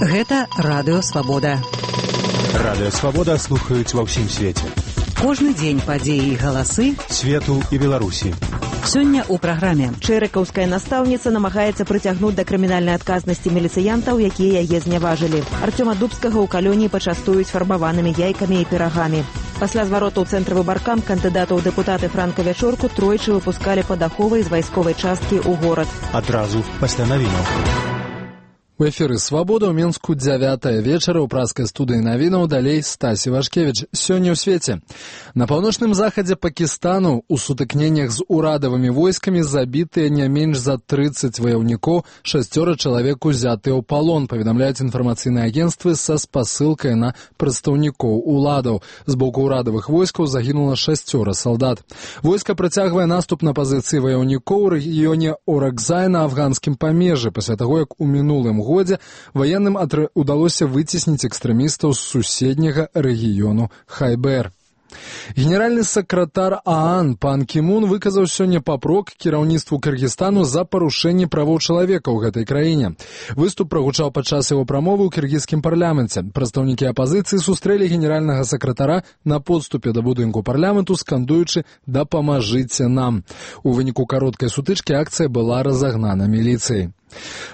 Гэта Радыё Свабода. Радыё Свабода слухаюць ва ўсім свеце. Кожны дзень падзеі і галасы свету і Беларусі. Сёння ў праграме. Чэрыкаўская настаўніца намагаецца прыцягнуць да крымінальнай адказнасці міліцыянтаў, якія яе зняважылі. Артёма Дубскага ў калоніі пачастуюць фарбаванымі яйкамі і пірагамі. Пасля звароту ў цэнтры выбаркам кандыдатаў у дэпутаты Франка Вячорку тройчы выпускалі пад аховай з вайсковай часткі ў горад. Адразу пасля навінаў. У эфіры «Свабода» ў Мінску 9 вечара ў праскай студыі навінаў, далей Стасі Вашкевіч. Сёння ў свеце. На паўночным захадзе Пакістану ў сутыкненнях з урадавымі войскамі забітыя не менш за 30 ваяўнікоў, 6 чалавек узятыя ў палон, паведамляюць інфармацыйныя агенцтвы са спасылкай на прадстаўнікоў уладаў. З боку ўрадавых войскаў загінула 6 салдат. Войска працягвае наступ на пазіцыі ваяўнікоў у рэгіёне Оракзай на афганскім памежжы, пасля таго, як у мінулым годзе ваенным удалося выцесніць экстрэмістаў з суседняга рэгіёну Хайбер. Генеральны сакратар ААН пан Кімун выказаў сёння папрок кіраўніцтву Кыргызстану за парушэнне правоў чалавека ў гэтай краіне. Выступ прагучаў падчас яго прамовы ў кіргізскім парламенце. Прадстаўнікі апазіцыі сустрэлі генеральнага сакратара на подступе да будынку парламенту, скандуючы «Дапамажыце нам». У выніку кароткай сутычкі акцыя была разагнана міліцыяй.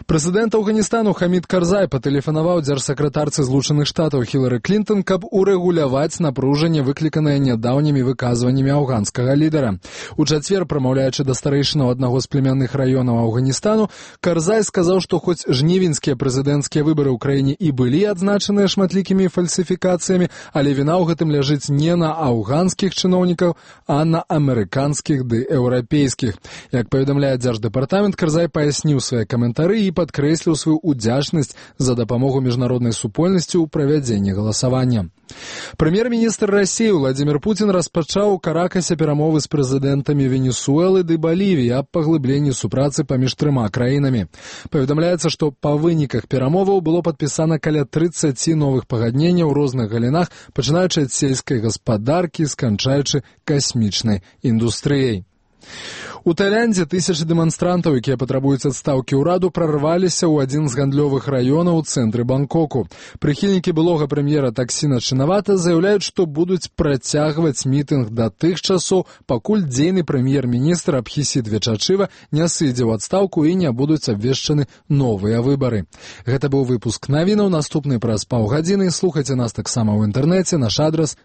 Прэзідэнт Афганістану Хамід Карзай патэлефанаваў дзяржсакратарцы Злучаных Штатаў Хілары Клінтон, каб урэгуляваць напружанне, выкліканае нядаўнімі выказваннямі афганскага лідара. У чацвер, прамаўляючы да старэйшынаў аднаго з племянных раёнаў Афганістану, Карзай сказаў, што хоць жнівеньскія прэзідэнцкія выбары ў краіне і былі адзначаныя шматлікімі фальсіфікацыямі, але віна ў гэтым ляжыць не на афганскіх чыноўнікаў, а на амерыканскіх ды еўрапейскіх. Як паведамляе дзярждэпартамент, Карзай паясніў свае каментары і падкрэсліў сваю ўдзячнасць за дапамогу міжнароднай супольнасці ў правядзенні галасавання. Прэм'ер-міністр Расіі Владзімір Пуцін распачаў у Каракасе перамовы з прэзідэнтамі Венесуэлы ды Балівіі аб паглыбленні супрацы паміж трыма краінамі. Паведамляецца, што па выніках перамоваў было падпісана каля 30 новых пагадненняў у розных галінах, пачынаючы ад сельскай гаспадаркі, сканчаючы касмічнай індустрыяй. У Тайландзе тысячы дэманстрантаў, якія патрабуюць адстаўкі ўраду, прарваліся ў адзін з гандлёвых раёнаў у цэнтры Бангкоку. Прыхільнікі былога прэм'ера Таксіна Чынавата заяўляюць, што будуць працягваць мітынг да тых часоў, пакуль дзейны прэм'ер-міністр Абхісід Вечачыва не сыдзе ў адстаўку і не будуць абвешчаны новыя выбары. Гэта быў выпуск навінаў. Наступны праз паўгадзіны. Слухайце нас таксама ў інтэрнэце. Наш адрас